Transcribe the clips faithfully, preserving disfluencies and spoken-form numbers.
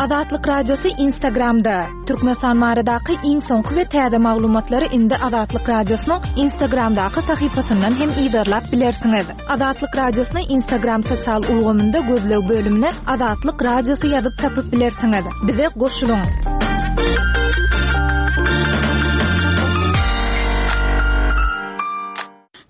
Azatlyk Radiosy Instagramda. Türkmenistan baradaky iň soňky we täze maglumatlary indi Azatlyk Radiosynyň Instagramdaky sahypasyndan hem yzarlap bilersiňiz. Azatlyk Radiosyny Instagram sosial ulgamynda gözleg bölümine Azatlyk Radiosy ýazyp tapyp bilersiňiz. Bize goşulyň.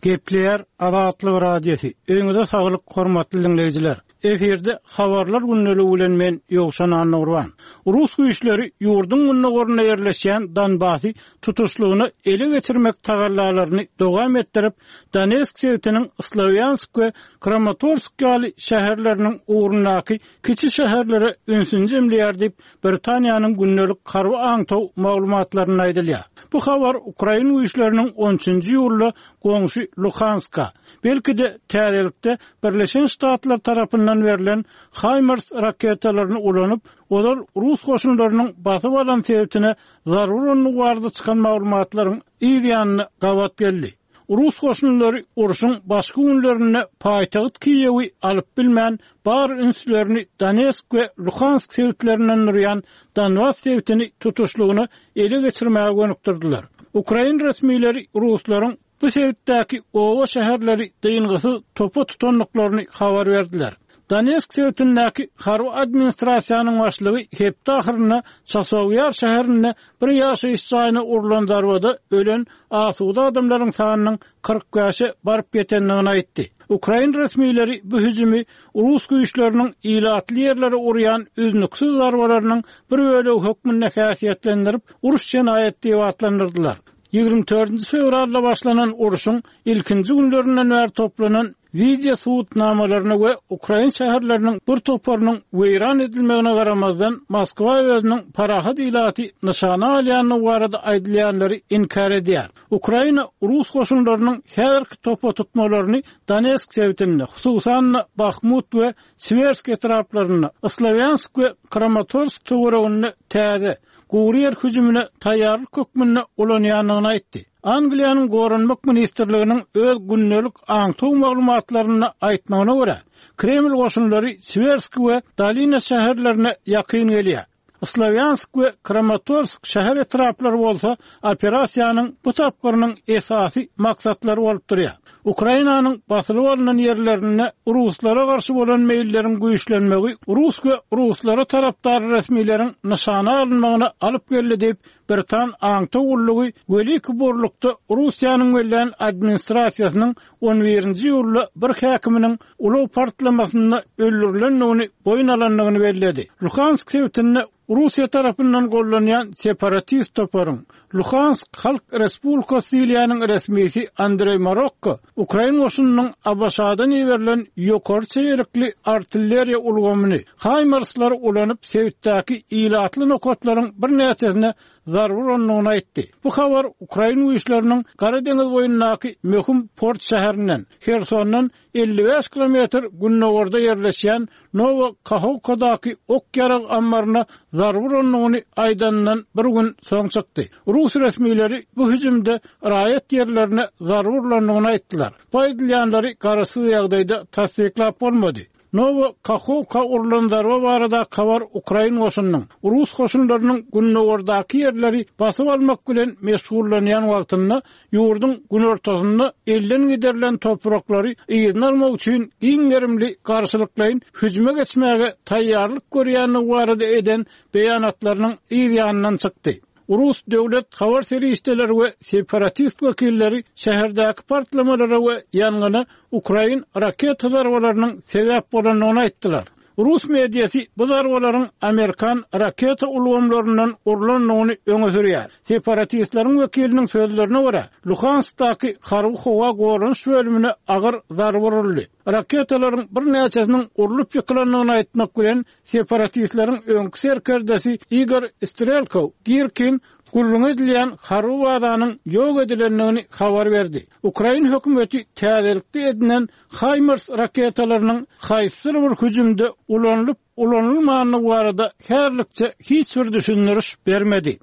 Gepleýär Azatlyk Radiosy. Öýüňize saglyk, hormatly diňleýjiler. Efirde habarlar gündeligi bilen men Ýowşan Annagurban. Rus güýçleri ýurduň gündogarynda ýerleşýän Donbasy tutuşlygyna ele geçirmek tagallalaryny dowam etdirip, Donetsk sebitiniň Slawýansk we Kramatorsk ýaly şäherleriniň ugrundaky kiçi şäherlere ünsüni jemleýär diýip, Britaniýanyň gündelik harby aňtaw maglumatlarynda aýdylýar. Bu habar Ukrain güýçleriniň on üçünji iýulda goňşy Luhanska, belki-de täzelikde Birleşen Ştatlar tarapyndan berlen HIMARS raketalaryny ulanyp, ozal rus goşunlarynyň basyp alan sebitine zarba urandygy barada çykan maglumatlaryň yz ýanyna gabat geldi. Rus goşunlary urşuň başky günlerinde paýtagt Kiýewi alyp bilmän, bar ünslerini Donetsk we Luhansk sebitlerinden durýan Donbas sebitini tutuşlygyna ele geçirmäge gönükdirdiler. Ukrain resmileri ruslaryň bu sebitdäki oba şäherleri dyngysyz topa tutandyklaryny habar berdiler. Donetsk sebitindäki harby administrasiýanyň başlygy hepde ahyrynda Çasowýar şäherinde bir ýaşaýyş jaýyna urlan zarbada ölen asuda adamlaryň sanynyň kyrk bäşe baryp ýetendigini aýtdy. Ukrain resmileri bu hüjümi rus güýçleriniň ilatly ýerlere urýan üznüksiz zarbalarynyň bir bölegi hökmünde häsiýetlendirip, uruş jenaýat diýip atlandyrdylar. Ýigrimi dördünji fewralda başlanan urşuň ilkinji günlerinden bäri toplanan video subutnamalaryna we Ukrain şäherleriniň bir toparynyň weýran edilmegine garamazdan Moskwa özüniň parahat ilaty nyşana alýandygy barada aýdylýanlary inkär edýär. Ukraina rus goşunlarynyň häzirki topa tutmalaryny Donetsk sebitinde, hususan-da Bahmut we Siwersk etraplarynda, Slawýansk we Kramatorsk töwereginde täze gury ýer hüjümine taýýarlyk hökmünde ulanýandygyny aýtdy. Angliýanyň Goranmak ministrliginiň öz gündelik aňtaw maglumatlarynda aýtmagyna görä, Kreml goşunlary Siwersk we Dolina şäherlerine ýakyn gelýär. Slawýansk we Kramatorsk şäher etraplary bolsa operasiýanyň bu tapgyrynyň esasy maksatlary bolup durýar. Ukrainanyň basylyp alynan ýerlerinde ruslara garşy bolan meýilleriň güýçlenmegi rus we ruslara tarapdar resmileriň nyşana alynmagyna alyp geldi diýip, Britan aňtaw gullugy Weliki Borlukda Russiýanyň bellän administrasiýasynyň on birinji iýulda bir häkiminiň ulag partlamasynda öldürilendigini boýun alandygyny belledi. Luhansk sebitinde Russiýa tarapyndan gollanýan separatist toparyň Luhansk Halk Respublikasy diýilýäniň resmisi Andrey Marokko Ukrain goşunynyň ABŞ-dan iberilen ýokary çeýelikli artilleriýa ulgamyny HIMARS-lary ulanyp sebitdäki ilatly nokatlaryň birnäçesine zarba urandygyny aýtdy. Bu habar Ukrain güýçleriniň Gara deňiz boýundaky möhüm port şäherinden Hersondan elli bäş kilometr gündogarda ýerleşýän Nowo Kahovkadaky ok ýarag ammaryna zarba urandygyny aýdandan bir gün soň çykdy. Rus resmileri bu hüjümde raýat ýerlerine zarba urandygyny aýtdylar. Bu aýdylýanlary garaşsyz ýagdaýda tassyklap bolmady. Nowo Kahovka urulan zarba barada habar Ukrain goşunynyň Rus goşunlarynyň gündogardaky ýerleri basyp almak bilen meşgullanýan wagtynda ýurduň günortasynda elden giderilen topraklary yzyna almak üçin giň gerimli garşylyklaýyn hüjüme geçmäge taýýarlyk görýändigi barada eden beýanatlarynyň yz ýanyndan çykdy. Rus döwlet habar serişdeleri we separatist wekilleri şäherdäki partlamalara we ýangyna Ukrain raketa zarbalarynyň sebäp bolandygyny aýtdylar. Rus mediasy bu zarbalaryň Amerikan raketa ulgamlaryndan urlandygyny öňe sürýär. Separatistleriň wekiliniň sözlerine görä, Luhanskdaky harby howa goranyş bölümine agyr zarba uruldy. Raketalaryň birnäçesiniň urlup ýykylandygyny aýtmak bilen separatistleriň öňki serkerdesi Igor Strelkov Girkin gürrüň edilýän harby bazanyň ýok edilendigini habar berdi. Ukrain hökümeti täzelikde edinen HIMARS raketalarynyň haýsydyr bir hüjümde ulanylyp ulanylmandygy barada häzirlikçe hiç bir düşündiriş bermedi.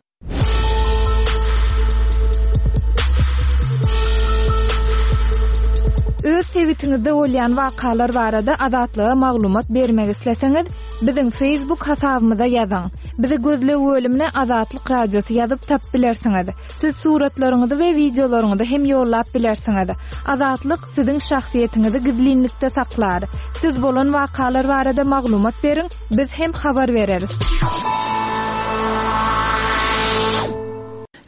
Öz Öz sebitiňizde bolýan wakalar barada Azatlyga maglumat bermek isleseňiz, biziň Facebook hasabymyza ýazyň. Bizi gözleg bölümine Azatlyk Radiosy ýazyp tapyp bilersiňiz. Siz suratlaryňyzy we wideolaryňyzy hem ýollap bilersiňiz. Azatlyk siziň şahsyýetiňizi gizlinlikde saklar. Siz bolan wakalar barada maglumat beriň, biz hem habar bereris.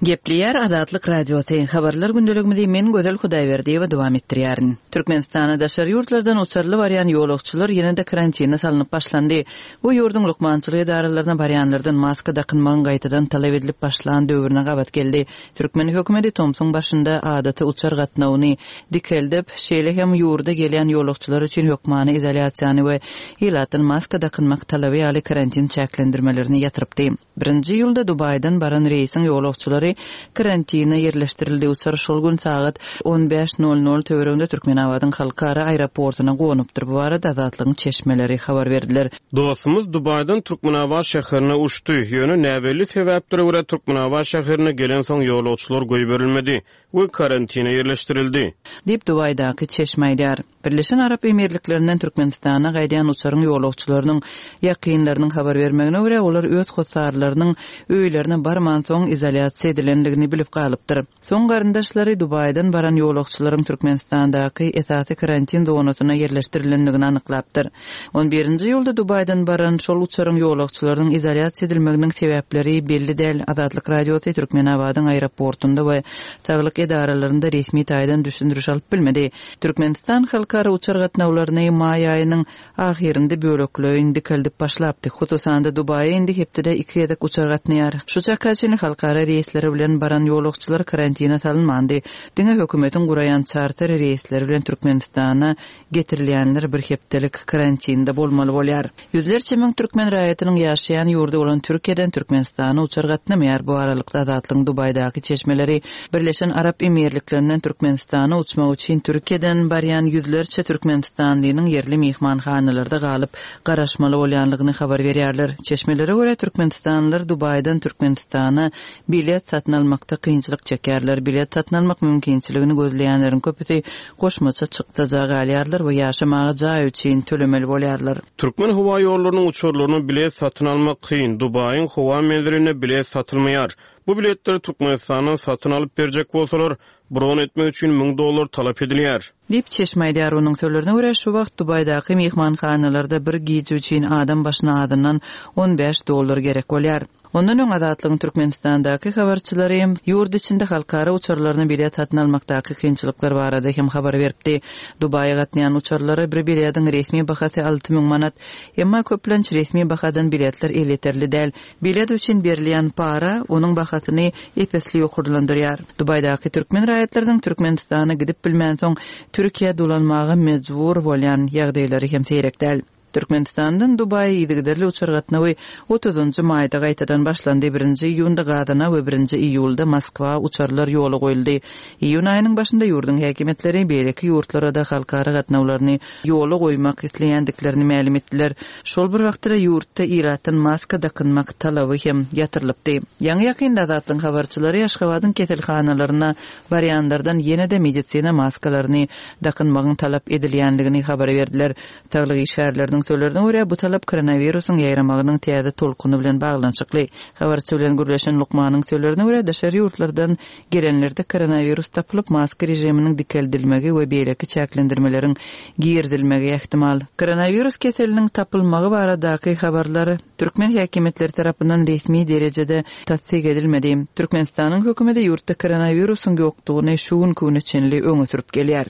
Gepleýär Azatlyk Radiosy. Habarlar gündeligimizi men Gözel Hudaýberdiýewa dowam etdirýärin. Türkmenistana daşary ýurtlardan uçarly barýan ýolagçylar ýene-de karantina salnyp başlandy. Bu ýurduň lukmançylyk edaralaryna barýanlardan maska dakynmagyň gaýtadan talap edilip başlan döwrüne gabat geldi. Türkmen hökümeti tomsuň başynda adaty uçar gatnawyny dikeldip, şeýle hem ýurda gelýän ýolagçylar üçin hökmany izolýasiýany we ilatdan maska dakynmak talaby ýaly karantin çäklendirmelerini ýatyrypdy. Birinji iýulda Dubaýdan baran reýsiň ýolagçylary karantina ýerleşdirildi. Uçar şol gün sagat on bäş nol nol töwereginde Türkmenabadyň halkara aeroportuna gonupdyr. Bu barada Azatlygyň çeşmeleri habar berdiler. Dostumyz Dubaýdan Türkmenabat şäherine uçdy. Ýöne näbelli sebäplere görä Türkmenabat şäherine gelen soň ýolagçylar goýberilmedi we karantina ýerleşdirildi. Diýip Dubaýdaky çeşme aýdar. Birleşen Arap Emirliklerinden Türkmenistana gaýdýan uçaryň ýolagçylarynyň ýakynlarynyň habar bermegine görä olar öz hossarlarynyň öýlerine barman soň izolýasiýa edilendigini bilip galypdyr. Soň garyndaşlary Dubaýdan baran ýolagçylaryň Türkmenistandaky esasy karantin zonasyna ýerleşdirilendigini anyklapdyr. On birinji iýulda Dubaýdan baran şol uçaryň ýolagçylarynyň izolýasiýa edilmeginiň sebäpleri belli däl. Azatlyk Radiosy Türkmenabadyň aeroportunda we saglyk edaralarynda resmi taýdan düşündiriş alyp bilmedi. Türkmenistan halkara uçar gatnawlaryny maý aýynyň ahyrynda bölekleýin dikeldip başlapdy. Hususan-da Dubaýa indi hepdede iki gezek uçar gatnaýar. Şu çaka çenli halkara reýsleri bilen baran ýolagçylar karantina salynmandy. Diňe hökümetiň guraýan çarter reýsleri bilen Türkmenistana getirilýänler bir hepdelik karantinde bolmaly bolýar. Ýüzlerçe müň türkmen raýatynyň ýaşaýan ýurdy bolan Türkiýeden Türkmenistana uçar gatnamaýar. Bu aralykda Azatlygyň Dubaýdaky çeşmeleri Birleşen Arap Emirliklerinden Türkmenistana uçmak üçin Türkiýeden barýan ýüzlerçe Türkmenistanlynyň ýerli mehmanhanalarda galyp garaşmaly bolýanlygyny habar berýärler. Çeşmelere görä Türkmenistanlylar Dubaýdan Türkmenistana bilet satyn almakda kynçylyk çekýärler. Bilet satyn almak mümkinçiligini gözleýänleriň köpüsi goşmaça çykdaja galýarlar we ýaşamaga jaý üçin tölemeli bolýarlar. Türkmen howa ýollarynyň uçarlaryna bilet satyn almak kyn. Dubaýyň howa menziline bilet satylmaýar. Bu biletleri Türkmenistandan satyn alyp berjek bolsalar, bron etmek üçin müň dollar talap edilýär. Diýip çeşme aýdar. Onuň sözlerine görä şu wagt Dubaýdaky mehmanhanalarda bir gije üçin adam başyna azyndan on bäş dollar gerek bolýar. Ondan öň Azatlygyň Türkmenistandaky habarçylary ýurt içinde halkara uçarlaryna bilet satyn almakdaky kynçylyklar barada hem habar beripdi. Dubaýa gatnaýan uçarlara bir biletiň resmi bahasy alty müň manat, emma köplenç resmi bahadan biletler elýeterli däl. Bilet üçin berilýän para onuň bahasyny epesli ýokarlandyrýar. Dubaýdaky türkmen raýatlarynyň Türkmenistana gidip bilmän soň Türkiýä dolanmaga mejbur bolýan ýagdaýlary hem seýrek däl. Türkmenistandan Dubaýa yzygiderli uçar gatnawy otuzunjy maýda gaýtadan başlandy. Birinji iýunda Gazana we birinji iýulda Moskwa uçarlar ýola goýuldy. Iýun aýynyň başynda ýurduň häkimiýetleri beýleki ýurtlara da halkara gatnawlaryny ýola goýmak isleýändiklerini mälim etdiler. Şol bir wagtda ýurtda ilatdan maska dakynmak talaby hem ýatyrylypdy. Ýaňy ýakynda Azatlygyň habarçylary Aşgabadyň keselhanalaryna barýanlardan ýene-de medisina maskalaryny dakynmagyň talap edilýändigini habar berdiler. Saglyk işgärleriniň sözlerine görä bu talap koronawirusyň ýaýramagynyň täze tolkuny bilen baglanyşykly. Habarçy bilen gürleşen lukmanyň sözlerine görä daşary ýurtlardan gelenlerde koronawirus tapylyp maska rejiminiň dikeldilmegi we beýleki çäklendirmeleriň girizilmegi ähtimal. Koronawirus keseliniň tapylmagy baradaky habarlar türkmen häkimiýetleri tarapyndan resmi derejede tassyk edilmedi. Türkmenistanyň hökümeti ýurtda koronawirusyň ýokdugyny şu günki güne çenli öňe sürüp gelýär.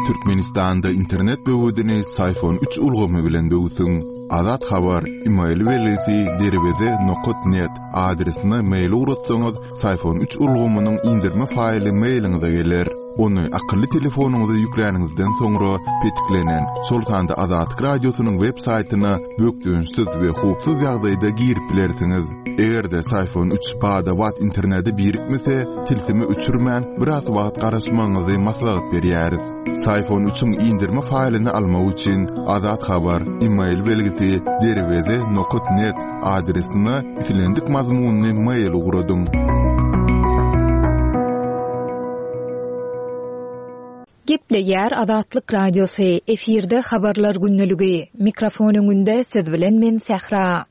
Türkmenistanda internet böwedini Syfon üç ulgamy bilen böwsüň. Azat Habar, e-mail belgisi derweze nokta net adresine mail ugratsaňyz, Syfon üç ulgamynyň indirme faýly mailiňize geler. Ony akylly telefonyňyza ýükläniňizden soňra petiklenen, şol sanda Azatlyk Radiosynyň web saýtyna bökdençsiz we howpsuz ýagdaýda girip bilersiňiz. Eger-de Syfon üç bada-bat internete birikmese, tilsimi öçürmän biraz wagt garaşmagyňyzy maslahat berýäris. Syfon üçiň indirme faýlyny almak üçin Azat Habar, e-mail belgisi derweze nokta net adresine islendik mazmunyny mail ugradyň. Gepleýär Azatlyk Radiosy, efirde habarlar gündeligi. Mikrofon öňünde siz bilen men Sähra.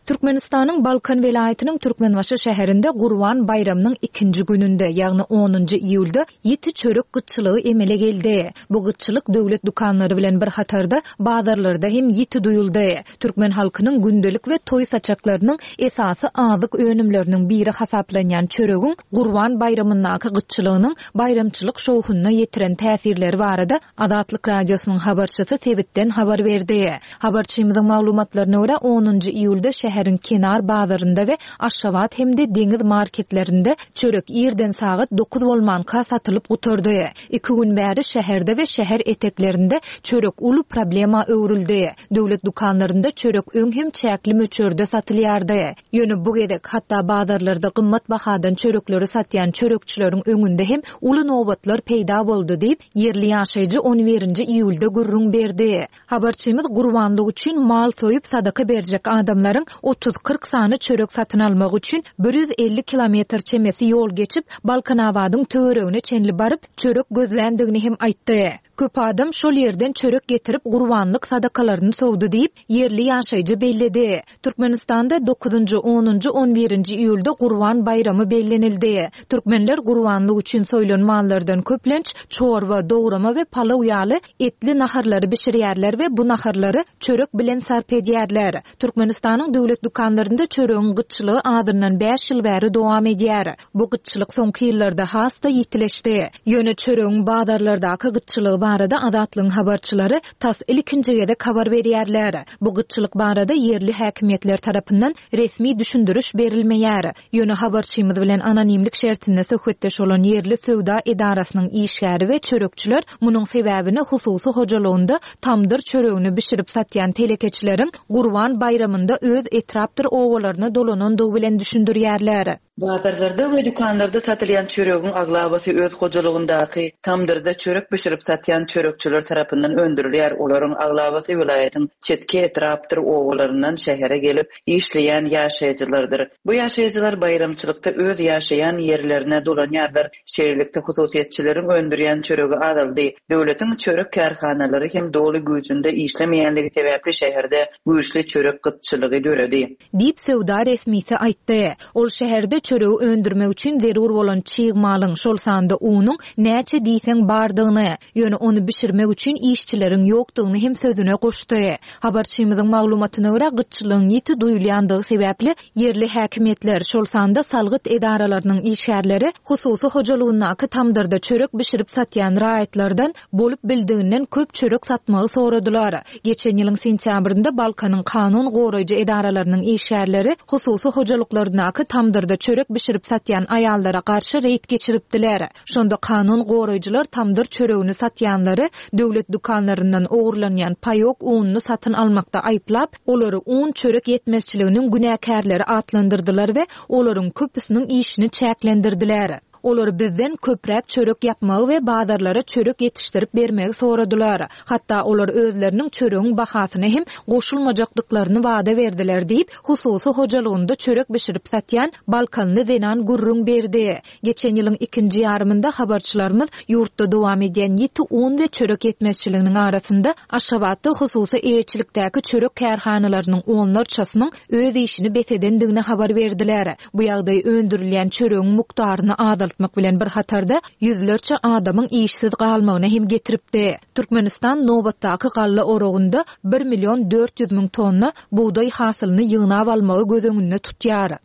Türkmenistanyň Balkan welaýatynyň Türkmenbaşy şäherinde Gurban baýramynyň ikinji gününde, ýagny onunjy iýulda ýiti çörek gytçylygy emele geldi. Bu gytçylyk döwlet dükanlary bilen bir hatarda bazarlarda hem ýiti duýuldy. Türkmen halkynyň gündelik we toý saçaklarynyň esasy azyk önümleriniň biri hasaplanýan çöregiň Gurban baýramyndaky gytçylygynyň baýramçylyk şowhunyna ýetiren täsirleri barada Azatlyk Radiosynyň habarçysy sebitden habar berdi. Habarçymyzyň maglumatlaryna görä onunjy iýulda şäheriň kenar bazarynda we Aşgabat hem-de deňiz marketlerinde çörek irden sagat dokuz bolmanka satylyp gutardy. Iki gün bäri şäherde we şäher eteklerinde çörek uly problema öwrüldi. Döwlet dükanlarynda çörek öň hem çäkli möçberde satylýardy. Ýöne bu gezek hatda bazarlarda gymmat bahadan çörekleri satýan çörekçileriň öňünde hem uly nobatlar peýda boldy diýip, ýerli ýaşaýjy on birinji iýulda gürrüň berdi. Habarçymyz gurbanlyk üçin mal soýup sadaka berjek adamlaryň otuz kyrk sany çörek satyn almak üçin bir ýüz elli kilometr çemesi ýol geçip, Balkanabadyň töweregine çenli baryp, çörek gözländigini hem aýtdy. Köp adam şol ýerden çörek getirip gurbanlyk sadakalaryny sowdy diýip, ýerli ýaşaýjy belledi. Türkmenistanda dokuzynjy, onunjy, on birinji iýulda Gurban baýramy bellenildi. Türkmenler gurbanlyk üçin soýlan mallardan köplenç çorba, dograma we palaw ýaly etli naharlary bişirýärler we bu naharlary çörek bilen sarp edýärler. Türkmenistanyň döwlet dükanlarynda çöregiň gytçylygy azyndan bäş ýyl bäri dowam edýär. Bu gytçylyk soňky ýyllarda has-da ýitileşdi. Ýöne çöregiň bazarlardaky gytçylygy barada Azatlygyň habarçylary tas ilkinji gezek habar berýärler. Bu gytçylyk barada ýerli häkimiýetler tarapyndan resmi düşündiriş berilmeýär. Ýöne habarçymyz bilen anonimlik şertinde söhbetdeş bolan ýerli söwda edarasynyň işgäri we çörekçiler munuň sebäbini hususy hojalygynda tamdyr çöregini bişirip satýan telekeçileriň Gurban baýramynda öz etrapdyr owalaryna dolanandygy bilen düşündirýärler. Bazarlarda we dükanlarda satylýan çöregiň aglabasy öz hojalygyndaky tamdyrda çörek bişirip satýan çörekçiler tarapyndan öndürilýär. Olaryň aglabasy welaýatyň çetki etrapdyr owalaryndan şähere gelip işleýän ýaşaýjylardyr. Bu ýaşaýjylar baýramçylykda öz ýaşaýan ýerlerine dolanýarlar. Şeýlelikde hususyýetçileriň öndürýän çöregi azaldy. Döwletiň çörek kärhanalary hem doly güýjünde işlemeýänligi sebäpli şäherde güýçli çörek gytçylygy döredi. Diýip söwda resmisi aýtdy. Ol şäherde çöregi öndürmek üçin zerur bolan çig malyň, şol sanda unuň näçe diýseň bardygyny, ýöne ony bişirmek üçin işçileriň ýokdugyny hem sözüne goşdy. Habarçymyzyň maglumatyna görä gytçylygyň ýiti duýulýandygy sebäpli ýerli häkimiýetler, şol sanda salgyt edaralarynyň işgärleri hususy hojalygyndaky tamdyrda çörek bişirip satýan raýatlardan bolup bildiginden köp çörek satmagy soradylar. Geçen ýylyň sentýabrynda Balkanyň kanun goraýjy edaralarynyň işgärleri hususy hojalyklaryndaky tamdyrda çörek bişirip satýan aýallara garşy reýd geçiripdiler. Şonda kanun goraýjylar tamdyr çöregini satýanlary döwlet dükanlaryndan ogurlanýan paýok ununy satyn almakda aýyplap, olary un çörek ýetmezçiliginiň günäkärleri atlandyrdylar we olaryň köpüsiniň işini çäklendirdiler. Olar bizden köpräk çörek ýapmagy we bazarlara çörek ýetişdirip bermegi soradylar. Hatda olar özleriniň çöregiň bahasyna hem goşulmajakdyklaryny wada berdiler diýip, hususy hojalygynda çörek bişirip satýan Balkanly zenan gürrüň berdi. Geçen ýylyň ikinji ýarymynda habarçylarymyz ýurtda dowam edýän ýiti un we çörek ýetmezçiliginiň arasynda Aşgabatda hususy eýeçilikdäki çörek kärhanalarynyň onlarçasynyň öz işini bes edendigini habar berdiler. Bu ýagdaý öndürilýän çöregiň mukdaryny azaltmak bilen bir hatarda ýüzlerçe adamyň işsiz galmagyna hem getiripdi. Türkmenistan nobatdaky galla oragynda bir million dört ýüz müň tonna bugdaý hasylyny ýygnap almagy göz öňünde tutýar.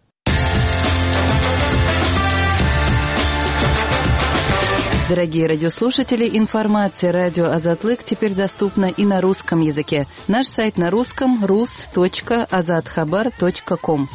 Дорогие радиослушатели, информация радио Азатлык теперь доступна и на русском языке. Наш сайт на русском рус точка азатхабар точка ком.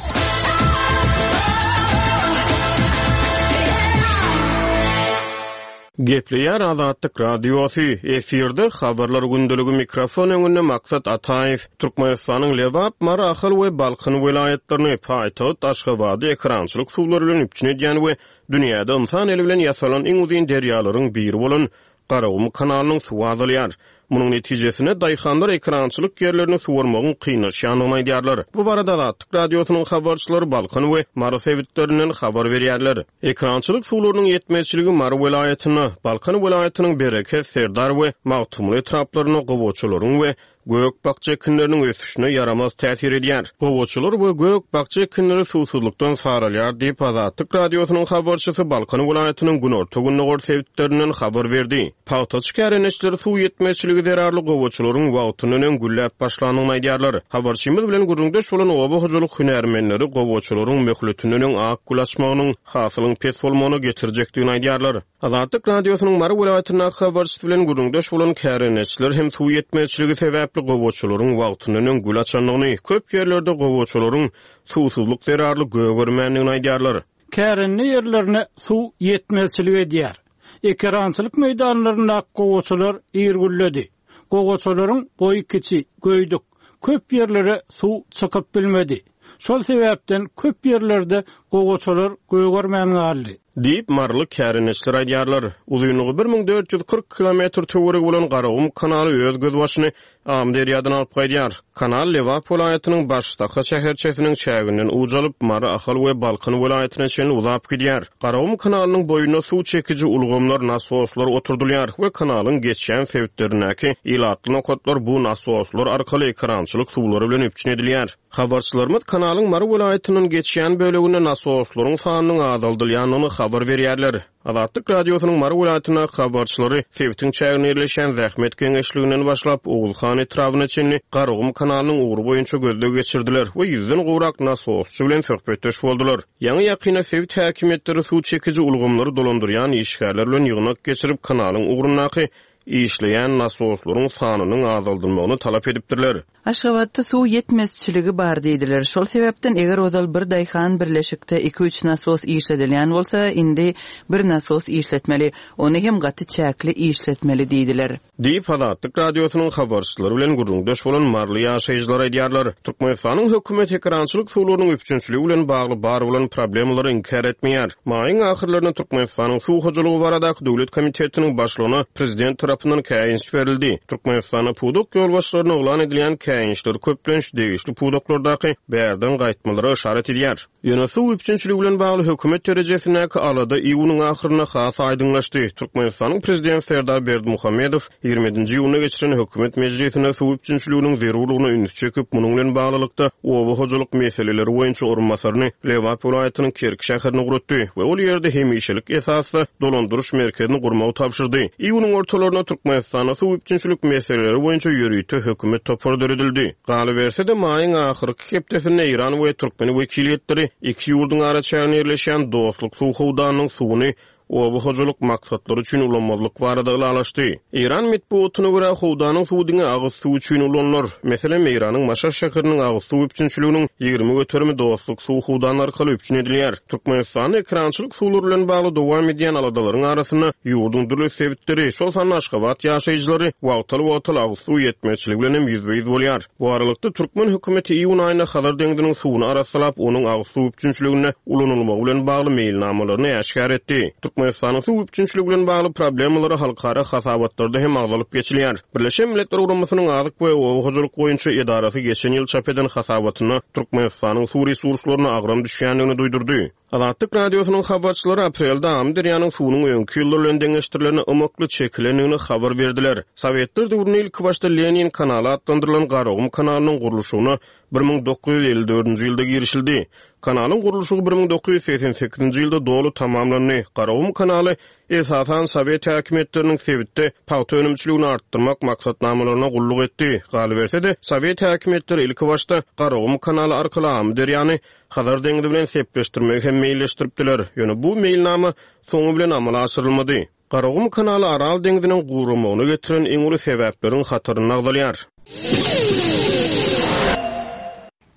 Gepleýär Azatlyk Radiosy, efirde habarlar gündeligi mikrofon öňünde Maksat Ataýew, Türkmenistanyň Lebap, Mary, Ahal we Balkan welaýatlaryny paýtagt Aşgabady ekrançylyk suwlary bilen üpjün edýän we dünýäde ynsan eli bilen ýasalan iň uzyn derýalaryň biri bolan Garagum kanalynyň suwy azalýar. Munuň netijesinde daýhanlar ekerançylyk ýerlerini suwarmagyň kynlaşýandygyny aýdýarlar. Bu barada Azatlyk Radiosynyň habarçylary Balkan we Mary sebitlerinden habar berýärler. Ekerançylyk suwlarynyň ýetmezçiligi Mary welaýatynda, Balkan welaýatynyň Bereket, Serdar we Magtymguly etraplarynda gowaçalaryň we gök-bakja ekinleriniň ösüşine ýaramaz täsir edýär. Gowaçalar we gök-bakja ekinleri suwsuzlykdan saralýar diýip Azatlyk Radiosynyň habarçysy Balkan welaýatynyň günorta-gündogar sebitlerinden habar berdi. Pagtaçy kärendeçileri suw ýetmezçiligi zerarly gowaçalaryň wagtyndan öň gülläp başlandygyny aýdýarlar. Habarçymyz bilen gürrüňdeş bolan oba hojalyk hünärmenleri gowaçalaryň möhletinden öň ak gül açmagynyň hasylyň pes bolmagyna getirjekdigini aýdýarlar. Azatlyk Radiosynyň Mary welaýatyndaky habarçysy bilen gürrüňdeş bolan kärendeçiler hem suw ýetmezçiligi sebäpli gowaçalaryň wagtyndan öň gül açandygyny, köp ýerlerde gowaçalaryň suwsuzlyk zerarly gögermändigini aýdýarlar. Kärende ýerlerine suw ýetmezçilik edýär. Ekerançylyk meýdanlarynda gowaçalar ir gülledi. Gowaçalaryň boýy kiçi, göýdük. Köp ýerlere suw çykyp bilmedi. Şol sebäpden köp ýerlerde gowaçalar gögermän galdy. Diýip Maryly kärendeçiler aýdýarlar. Uzynlygy bir müň dört ýüz kyrk kilometr töweregi bolan Garagum kanaly öz gözbaşyny Amyderýadan alyp gaýdýar. Kanal Lebap welaýatynyň Baştaka şäherçesiniň çäginden uç alyp, Mary, Ahal we Balkan welaýatyna çenli uzap gidýär. Garagum kanalynyň boýunda suw çekiji ulgamlar, nasoslar oturdylýar we kanalyň geçýän sebitlerindäki ilatly nokatlar bu nasoslar arkaly ekerançylyk suwlary bilen üpjün edilýär. Habarçylarymyz kanalyň Mary welaýatyndan geçýän böleginde nasoslaryň sanynyň azaldylýandygyny habar berýärler. Azatlyk Radiosynyň Mary welaýatyndaky habarçylary sebitiň çäginde ýerleşýän Zähmet geňeşliginden başlap Oguzhan etrabyna çenli Garagum kanalynyň ugry boýunça gözleg geçirdiler we ýüzden gowrak nasosçy bilen söhbetdeş boldular. Ýaňy ýakynda sebit häkimiýetleri suw çekiji ulgamlary dolandyrýan işgärler bilen ýygnak geçirip kanalyň ugrundaky işleýän nasoslaryň sanynyň azaldylmagyny talap edipdirler. Aşgabatda suw ýetmezçiligi bar diýdiler. Şol sebäpden eger ozal bir daýhan birleşikde iki üç nasos işledilýän bolsa, indi bir nasos işletmeli, ony hem gaty çäkli işletmeli diýdiler. Diýip Azatlyk Radiosynyň habarçylary bilen gürrüňdeş bolan Maryly ýaşaýjylar aýdýarlar. Türkmenistanyň hökümeti ekerançylyk suwlarynyň üpjünçiligi bilen bagly bar bolan problemalary inkär etmeýär. Maýyň ahyrlarynda Türkmenistanyň suw hojalygy baradaky döwlet komitetiniň başlygyna prezident tarapyndan käýinç berildi. Türkmenistanda pudak ýolbaşçylaryna yglan edilýän käýinçler köplenç degişli pudaklardaky bärden gaýtmalara işaret edýär. Ýöne suw üpjünçiligi bilen bagly hökümet derejesindäki alada iýunyň ahyrynda has aýdyňlaşdy. Türkmenistanyň prezidenti Serdar Berdimuhamedow ýigrimi ýedinji iýunda geçiren hökümet mejlisinde suw üpjünçiliginiň zerurlygyna üns çekip, munuň bilen baglylykda oba hojalyk meseleleri boýunça orunbasaryny Lebap welaýatynyň Kerki şäherine ugratdy we ol ýerde hemişelik esasda dolandyryş merkezini gurmagy tabşyrdy. Iýunyň ortalarynda Türkmenistanda suw üpjünçilik meseleleri boýunça ýörite hökümet topary döredildi. Galyberse-de maýyň ahyrky hepdesinde Eýran we türkmen wekiliýetleri iki ýurduň araçäginde ýerleşýän Dostluk suw howdanynyň suwuny oba hojalyk maksatlary üçin ulanmazlyk barada ylalaşdy. Eýran metbuatyna görä howdanyň suwy diňe agyz suwy üçin ulanylar. Meselem, Eýranyň Maşat şäheriniň agyz suw üpjünçiliginiň ýigrimi göterimi Dostluk suw howdany arkaly üpjün edilýär. Türkmenistanda ekerançylyk suwlary bilen bagly dowam edýän aladalaryň arasynda ýurduň dürli sebitleri, şol sanda Aşgabat ýaşaýjylary wagtal-wagtal agyz suw ýetmezçiligi bilen hem ýüzbe-ýüz bolýar. Bu aralykda türkmen hökümeti iýun aýynda Hazar deňziniň suwuny arassalap, onuň agyz suw üpjünçiliginde ulanylmagy bilen bagly meýilnamalaryny äşgär etdi. Türkmenistanyň suw üpjünçiligi bilen bagly problemalary halkara hasabatlarda hem agzalyp geçilýär. Birleşen Milletler Guramasynyň Azyk we Oba hojalyk boýunça edarasy geçen ýyl çap eden hasabatynda Türkmenistanyň suw resurslaryna agram düşýändigini duýdurdy. Azatlyk Radiosynyň habarçylary aprelde Amyderýanyň suwunyň öňki ýyllar bilen deňeşdirilen ymykly çekilendigini habar berdiler. Sowetler döwründe ilki başda Lenin kanaly atlandyrylan Garagum kanalynyň gurluşygyna bir müň dokuz ýüz elli dördünji ýylda girişildi. Kanalyň gurluşygy bir müň dokuz ýüz segsen sekizinji ýylda doly tamamlandy. Garagum kanaly esasan Sowet häkimiýetleriniň sebitde pagta önümçiligini artdyrmak maksatnamalaryna gulluk etdi. Galyberse-de Sowet häkimiýetleri ilki başda Garagum kanaly arkaly Amyderýany Hazar deňzi bilen sepleşdirmegi hem meýilleşdiripdiler. Ýöne bu meýilnama soňy bilen amala aşyrylmady. Garagum kanaly Aral deňziniň guramagyna getiren iň uly sebäpleriň hatarynda agzalýar.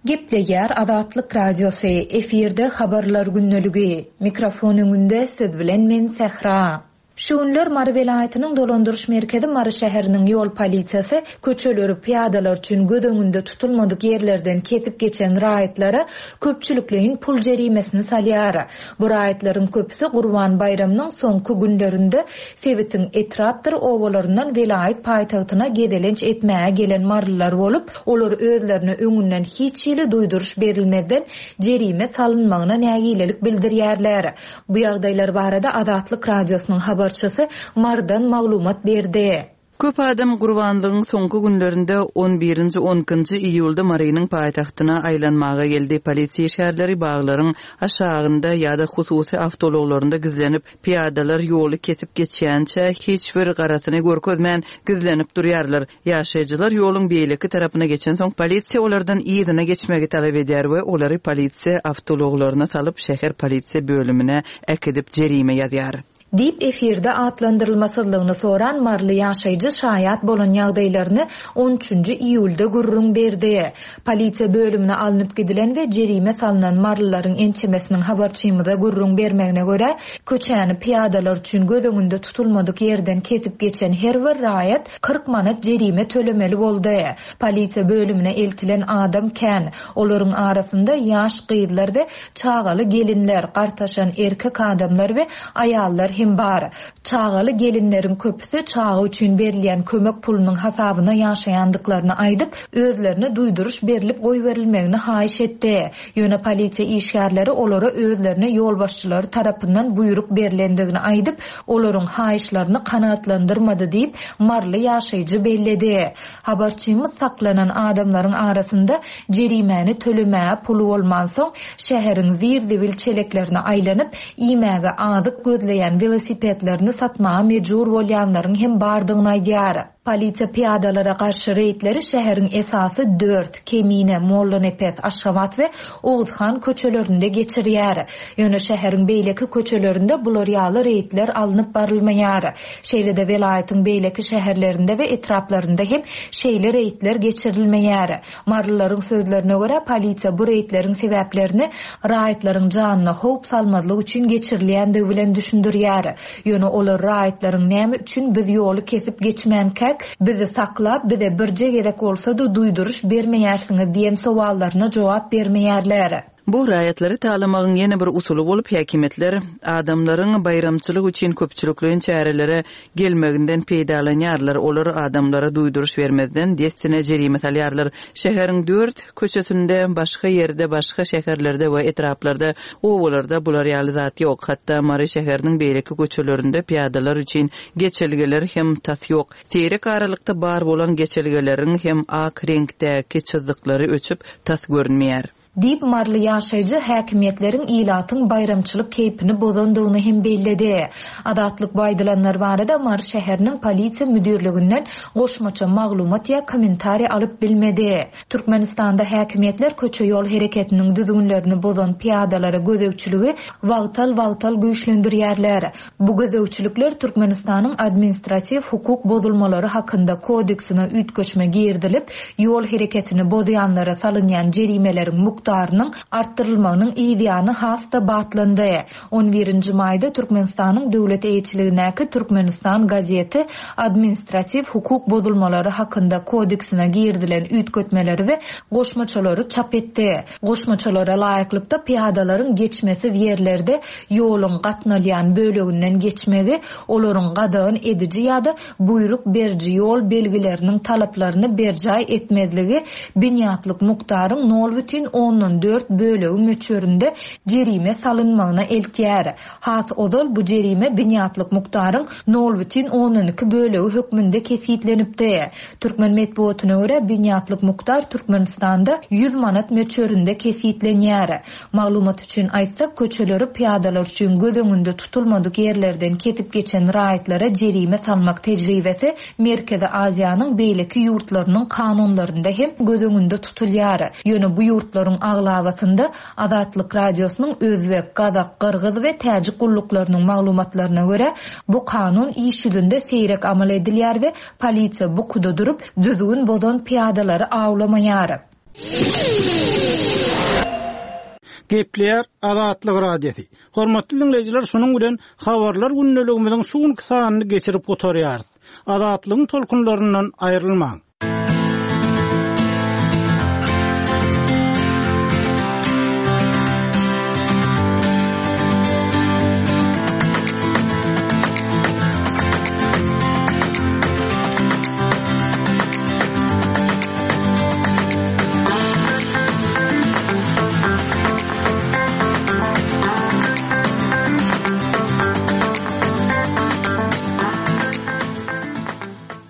Gepleýär Azatlyk Radiosy, efirde habarlar gündeligi. Mikrofon öňünde siz bilen men Sähra. Şu günler Mary welaýatynyň dolandyryş merkezi Mary şäheriniň ýol polisiýasy köçeleri pyýadalar üçin göz öňünde tutulmadyk ýerlerden kesip geçen raýatlara köpçülikleýin pul jerimesini salýar. Bu raýatlaryň köpüsi Gurban baýramynyň soňky günlerinde sebitiň etrapdyr obalaryndan welaýat paýtagtyna gezelenç etmäge gelen marylylar bolup, olar özlerine öňünden hiç hili duýduryş berilmezden jerime salynmagyna nägilelik bildirýärler. Bu ýagdaýlar barada Azatlyk Radiosynyň habarçysy Marydan maglumat berdi. Köp adam gurbanlygyň soňky günlerinde on birinji, on ikinji iýulda Marynyň paýtagtyna aýlanmaga geldi. Polisiýa işgärleri baglaryň aşagynda ýa-da hususy awtoulaglarynda gizlenip, pyýadalar ýoly kesip geçýänçä hiç bir garasyny görkezmän gizlenip durýarlar. Ýaşaýjylar ýoluň beýleki tarapyna geçensoň polisiýa olardan yzyna geçmegi talap edýär we olary polisiýa awtoulaglaryna salyp şäher polisiýa bölümine äkidip jerime ýazýar. Diýip efirde atlandyrylmasyzlygyny soran maryly ýaşaýjy şaýat bolan ýagdaýlaryny on üçünji iýulda gürrüň berdi. Polisiýa bölümine alnyp gidilen we jerime salynan marylylaryň ençemesiniň habarçymyza gürrüň bermegine görä, köçäni pyýadalar üçin göz öňünde tutulmadyk ýerden kesip geçen her bir raýat kyrk manat jerime tölemeli boldy. Polisiýa bölümine eltilen adam kän. Olaryň arasynda ýaş gyzlar we çagaly gelinler, gartaşan erkek adamlar we aýallar hem bar. Çagaly gelinleriň köpüsi çaga üçin berilýän kömek pulunyň hasabyna ýaşaýandyklaryny aýdyp, özlerine duýduryş berilip goýberilmegini haýyş etdi. Ýöne polisiýa işgärleri olara özlerine ýolbaşçylary tarapyndan buýruk berilendigini aýdyp, olaryň haýyşlaryny kanaatlandyrmady diýip, maryly ýaşaýjy belledi. Habarçymyz saklanan adamlaryň arasynda jerimäni tölemäge puly bolmansoň, şäheriň zir-zibil çeleklerine aýlanyp, iýmäge azyk gözleýän welosipedlerini satmaga mejbur bolýanlaryň hem bardygyny aýdýar. Polisiýa pyýadalara garşy reýdleri şäheriň esasy dört, Kemine, Mollanepes, Aşgabat we Oguzhan köçelerinde geçirýär. Ýöne şäheriň beýleki köçelerinde bular ýaly reýdler alnyp barylmaýar. Şeýle-de welaýatyň beýleki şäherlerinde we etraplarynda hem şeýle reýdler geçirilmeýär. Marylylaryň sözlerine görä polisiýa bu reýdleriň sebäplerini raýatlaryň janyna howp salmazlyk üçin geçirilýändigi bilen düşündirýär. Ýöne olar raýatlaryň näme üçin biz ýoly kesip geçmänkäk, bizi saklap, bize birje gerek bolsa da duýduryş bermeýärsiňiz diýen sowallaryna jogap bermeýärler. Bu raýatlary talamagyň ýene bir usuly bolup, häkimetler adamlaryň baýramçylyk üçin köpçülikleýin çärelere gelmeginden peýdalanýarlar. Olar adamlara duýduryş bermezden dessine jerime salýarlar. Şäheriň dört köçesinde, başga ýerde, başga şäherlerde we etraplarda, obalarda bular ýaly zat ýok. Hatda Mary şäheriniň beýleki köçelerinde pyýadalar üçin geçelgeler hem tas ýok. Seýrek aralykda bar bolan geçelgeleriň hem ak reňkdäki çyzyklary öçüp tas görünmeýär. Diýip maryly ýaşaýjy häkimiýetleriň ilatyň baýramçylyk keýpini bozandygyny hem belledi. Azatlyk bu aýdylanlar barada Mary şäheriniň polisiýa müdirliginden goşmaça maglumat ýa kommentariý alyp bilmedi. Türkmenistanda häkimiýetler köçe ýol hereketiniň düzgünlerini bozan pyýadalara gözegçiligi wagtal-wagtal güýçlendirýärler. Bu gözegçilikler Türkmenistanyň administratiw hukuk bozulmalary hakynda kodeksine üýtgeşme girdilip, ýol hereketini bozýanlara salynýan jerimeleriň mukdarynyň artdyrylmagynyň ýany has-da batlandy. On birinji maýda Türkmenistanyň döwlet eýeçiligindäki Türkmenistan gazeti administratiw hukuk bozulmalary hakynda kodeksine girdilen üýtgetmeleri we goşmaçalary çap etdi. Goşmaçalara laýyklykda pyýadalaryň geçmesiz ýerlerde ýoluň gatnalýan böleginden geçmegi, olaryň gadagan ediji ýa-da buýruk beriji ýol belgileriniň talaplaryny berjaý etmezligi binýatlyk mukdaryň nol bütin ondan dört bölegi möçberinde jerime salynmagyna eltýär. Has ozal bu jerime binýatlyk mukdaryň nol bütin ondan iki bölegi hökmünde kesgitlenipdi. Türkmen metbugatyna görä binýatlyk mukdar Türkmenistanda ýüz manat möçberinde kesgitlenýär. Maglumat üçin aýtsak, köçeleri pyýadalar üçin göz öňünde tutulmadyk ýerlerden kesip geçen raýatlara jerime salmak tejribesi Merkezi Aziýanyň beýleki ýurtlarynyň kanunlarynda hem göz öňünde tutulýar. Ýöne bu ýurtlaryň aglabasynda Azatlyk Radiosynyň Özbek, Gazak, Gyrgyz we Täjik gulluklarynyň maglumatlaryna görä bu kanun iş ýüzünde seýrek amal edilýär we polisiýa bukuda durup düzgün bozan pyýadalary awlamaýar. Gepleýär Azatlyk Radiosy. Hormatly diňleýjiler, şunuň bilen habarlar gündeligimiziň şu günki sanyny geçirip gutarýarys. Azatlygyň tolkunlaryndan aýrylmaň.